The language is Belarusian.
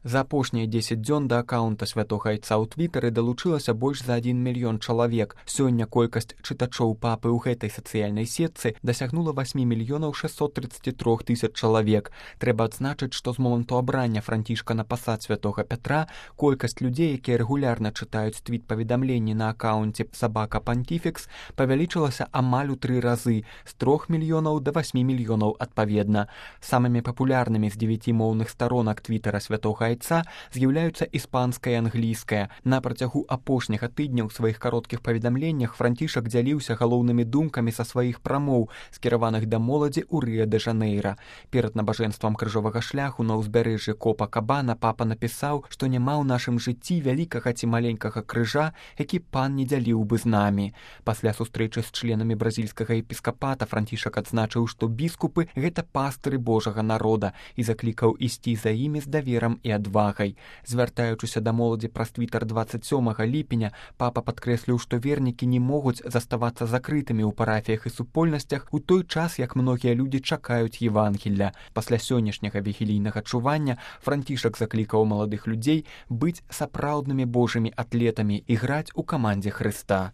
За апошнія 10 дзён да акаунта святога айца ў твітары далучылася больш за 1 мільён чалавек. Сёння колькасць чытачоў папы ў гэтай сацыяльнай сетцы дасягнула 8 мільёнаў 633 тысяч чалавек. Трэба адзначыць, што з моманту абрання Францішка на пасад святога Пятра колькасць людзей, якія рэгулярна чытаюць твіт-паведамленні на акаунце «Сабака Пантифікс», павялічылася амаль у 3 разы, з 3 мільёнаў да 8 мільёнаў адпаведна. Самымі папулярнымі з 9 моўных старонак твітара святога айца з'яўляюцца іспанская і англійская. На працягу апошняга тыдня ў сваіх кароткіх паведамленнях Францішак дзяліўся галоўнымі думкамі са сваіх прамоў, скіраваных да моладзі ў Рыа-дэ-Жанэйра. Перад набажэнствам крыжовага шляху на ўзбярэжжы Копа-Кабана папа напісаў, што няма ў нашым жыцці вялікага ці маленькага крыжа, які пан не дзяліў бы з намі. Пасля сустрэчы з членамі бразільскага епіскапата Францішак адзначыў, што біскупы — гэта пастыры Божага народа, і заклікаў ісці за імі з даверам і адвагай. Звяртаючыся да моладзі праз твітар 27 ліпеня, папа падкрэсліў, што вернікі не могуць заставацца закрытымі ў парафіях і супольнасцях у той час, як многія людзі чакаюць Евангелля. Пасля сённяшняга вігілійнага чування Францішак заклікаў маладых людзей быць сапраўднымі божымі атлетамі і граць у камандзе Хрыста.